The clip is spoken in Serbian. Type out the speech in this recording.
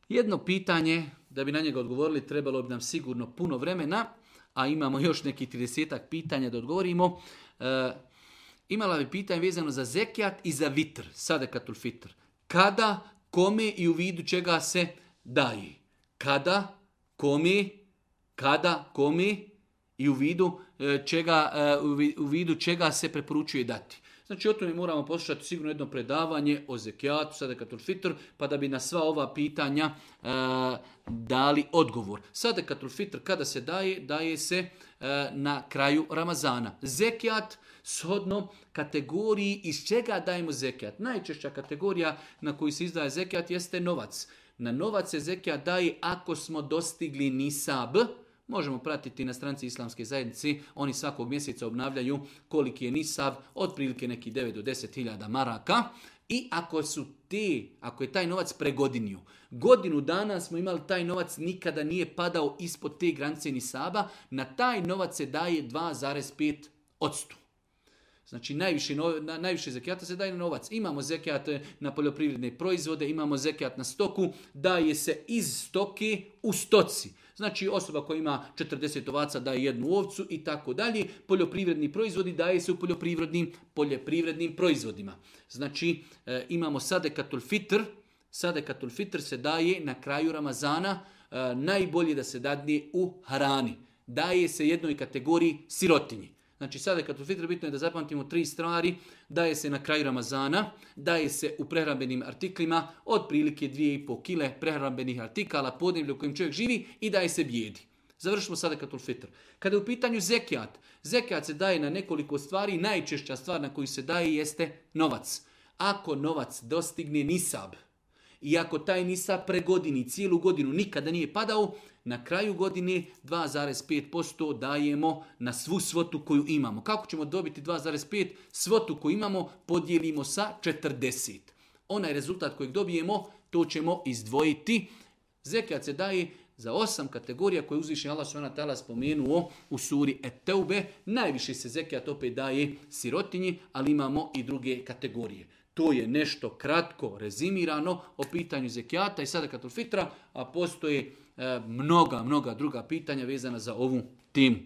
Jedno pitanje, da bi na njega odgovorili, trebalo bi nam sigurno puno vremena, a imamo još nekih 30 pitanja da odgovorimo. Imala bi pitanje vezano za zekijat i za vitr, sadekatul fitr. Kada, kome i u vidu čega se daje? Kada, kome i u vidu čega se preporučuje dati. Znači o tome moramo poslušati sigurno jedno predavanje o zekijatu, sadekatul fitr, pa da bi na sva ova pitanja dali odgovor. Sadekatul fitr kada se daje, daje se na kraju Ramazana. Zekijat shodno kategoriji iz čega dajemo zekijat. Najčešća kategorija na koju se izdaje zekijat jeste novac. Na novac se zekijat daje ako smo dostigli nisab. Možemo pratiti na stranici Islamske zajednice, oni svakog mjeseca obnavljaju koliki je nisab, otprilike neki 9 do 10 hiljada maraka. I ako je taj novac pregodinio, godinu dana smo imali taj novac, nikada nije padao ispod te granice nisaba, na taj novac se daje 2,5%. Znači najviše zekijata se daje na novac. Imamo zekijat na poljoprivredne proizvode, imamo zekijat na stoku, daje se iz stoke u stoci. Znači osoba koja ima 40 ovaca daje jednu ovcu i tako dalje. Poljoprivredni proizvodi daje se u poljoprivrednim proizvodima. Znači imamo sadekatul fitr. Sadekatul fitr se daje na kraju Ramazana. Najbolje da se dadne u hrani. Daje se jednoj kategoriji sirotinji. Znači sadekatul fitr bitno je da zapamtimo 3 stvari. Daje se na kraju Ramazana, daje se u prehrambenim artiklima, otprilike 2,5 kile prehrambenih artikala, podneblje u kojem čovjek živi i daje se bijedi. Završimo sadekatul fitr. Kada je u pitanju zekijat, zekijat se daje na nekoliko stvari, najčešća stvar na koju se daje jeste novac. Ako novac dostigne nisab i ako taj nisab pregodini cijelu godinu nikada nije padao, na kraju godine 2,5% dajemo na svu svotu koju imamo. Kako ćemo dobiti 2,5? Svotu koju imamo podijelimo sa 40. Onaj rezultat kojeg dobijemo, to ćemo izdvojiti. Zekijat se daje za 8 kategorija koje uzvišeni Allah subhanahu wa ta'ala spomenuo u suri Et-Teube. Najviše se zekijat opet daje sirotinji, ali imamo i druge kategorije. To je nešto kratko rezimirano o pitanju zekijata i sadekatul fitra, a postoje mnoga druga pitanja vezana za ovu temu.